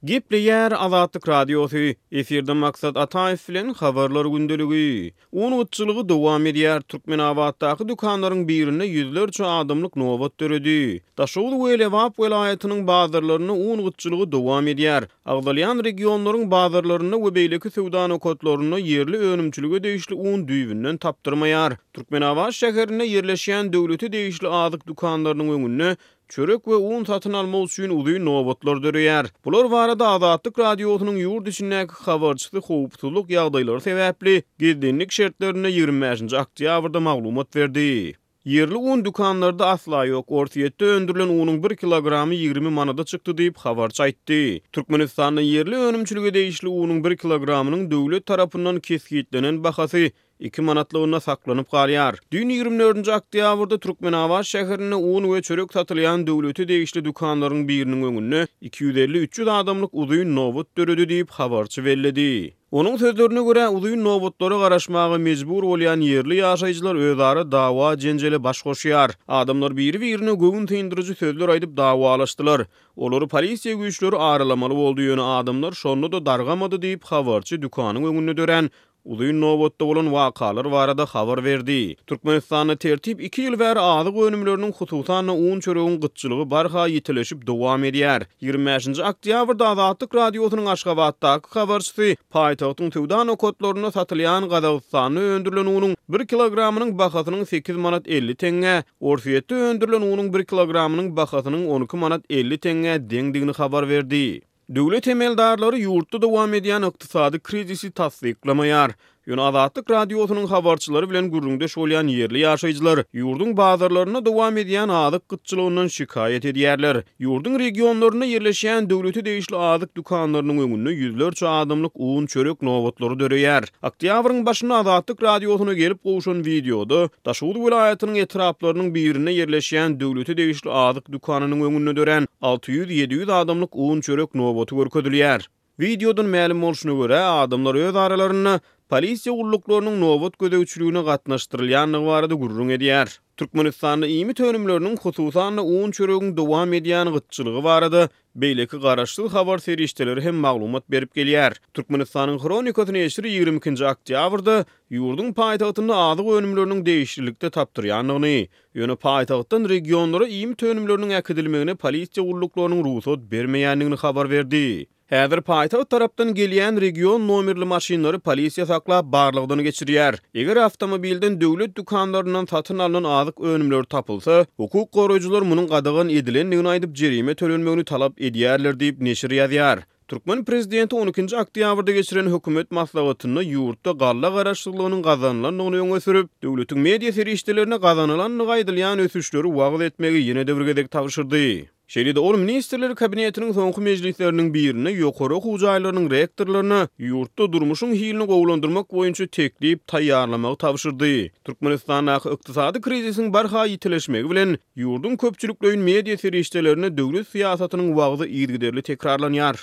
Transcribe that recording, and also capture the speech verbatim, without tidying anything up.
Gepleýär Azatlyk Radiosy, efirde Maksat Ataýew bilen Habarlar gündeligi. Un gytçylygy dowam edýär, Türkmenabatdaky dükanlaryň birinde ýüzlerçe adamlyk nobat döredi. Daşoguz we Lebap welaýatynyň bazarlarynda un gytçylygy dowam edýär. Agzalýan regionlaryň bazarlarynda we beýleki söwda nokatlarynda ýerli önümçilige degişli un düýbünden tapdyrmaýar. Türkmenabat şäherinde ýerleşýän döwlete degişli azyk dükanlarynyň öňünde çörek we un satyn almak üçin uzyn nobatlar döreýär. Bular barada Azatlyk Radiosynyň ýurt içindäki habarçysy howpsuzlyk ýagdaýlary sebäpli gizlinlik şertlerinde ýigrimi bäşinji oktýabrda maglumat berdi. Ýerli un dükanlarda asla ýok. Orsýetde öndürilen unuň bir kilogramy ýigrimi manada çykdy diýip, habarçy aýtdy. Türkmenistanda ýerli önümçilige degişli unuň bir kilogramynyň döwlet tarapyndan kesgitlenen bahasy iki manatlygynda saklanyp galýar. Düýn ýigrimi dördünji oktýabrda Türkmenabat şäherinde un we çörek satylýan döwlete degişli dükanlaryň biriniň öňünde iki ýüz elli-üç ýüz adamlyk uzyn nobat döredi diýip, habarçy belledi. Onuň sözlerine görä, uzyn nobatlara garaşmaga mejbur bolýan ýerli ýaşaýjylar özara dawa-jenjele baş goşýar. Adamlar biri-birine göwün syndyryjy sözler aýdyp dawalaşdylar. Olary polisiýa güýçleri aralamaly boldy, ýöne adamlar şonda-da dargamady diýip, habarçy dükanyň öňünde dörän uzyn nobatda bolan wakalar barada habar berdi. Türkmenistanda tertip iki ýyl bäri azyk önümleriniň, hususan-da un çöregiň gytçylygy barha ýitileşip dowam edýär. Ýigrimi bäşinji oktýabrda Azatlyk Radiosynyň Aşgabatdaky habarçysy paýtagtyň söwda nokatlarynda satylýan Gazagystanda öndürilen unuň bir kilogramynyň bahasynyň sekiz manat elli teňňä, Orsýetde öndürilen unuň bir kilogramynyň bahasynyň on iki manat elli teňňä deňdigini habar berdi. Döwlet emeldarlary ýurtda dowam edýän ykdysady krizisi tassyklamaýar. Ýöne Azatlyk Radiosynyň habarçylary bilen gürrüňdeş bolýan ýerli ýaşaýjylar ýurduň bazarlarynda dowam edýän azyk gytçylygyndan şikaýat edýärler. Ýurduň regionlarynda ýerleşýän döwlete degişli azyk dükanlarynyň öňünde ýüzlerçe adamlyk un, çörek nobatlary döreýär. Oktýabryň başynda Azatlyk Radiosyna gelip gowşan wideoda Daşoguz welaýatynyň etraplarynyň birinde ýerleşýän döwlete degişli azyk dükanynyň öňünde dörän alty ýüz-ýedi ýüz adamlyk un-çörek nobaty görkezilýär. Wideodan mälim bolşuna görä, adamlar öz aralarynda polisiýa gulluklarynyň nobat gözegçiligine gatnaşdyrylýandygy barada gürrüň edýär. Türkmenistanda iýmit önümleriniň, hususan-da un-çöregiň dowam edýän gytçylygy barada beýleki garaşsyz habar serişdeleri hem maglumat berip gelýär. Türkmenistanyň Hronikasy neşiri ýigrimi ikinji oktýabrda ýurduň paýtagtynda azyk önümleriniň degişlilikde tapdyrýandygyny, ýöne paýtagtdan regionlara iýmit önümleriniň äkidilmegine polisiýa gulluklarynyň rugsat bermeýändigini habar berdi. Häzir paýtagt tarapdan gelýän region nomerli maşynlary polisiýa saklap barlagdan geçirýär. Eger awtomobilden döwlet dükanlaryndan satyn alnan azyk önümleri tapylsa, hukuk goraýjylar munuň gadagan edilendigini aýdyp, jerime tölenmegini talap edýärler diýip, neşir ýazýar. Türkmen prezidenti on ikinji oktýabrda geçiren hökümet maslahatynda ýurtda galla garaşsyzlygynyň gazanylandygyny öňe sürüp, döwletiň media serişdelerine gazanylandygy aýdylýan ösüşleri wagyz etmegi ýene-de bir gezek tabşyrdy. Şeýle-de ol Ministrler Kabinetiniň soňky mejlisleriniň birinde ýokary okuw jaýlarynyň rektorlaryna ýurtda durmuşyň hilini gowulandyrmak boýunça teklip taýýarlamagy tabşyrdy. Türkmenistandaky ykdysady krizisiň barha ýitileşmegi bilen ýurduň köpçülikleýin media serişdelerinde döwlet syýasatynyň wagzy yzygiderli tekrarlanýar.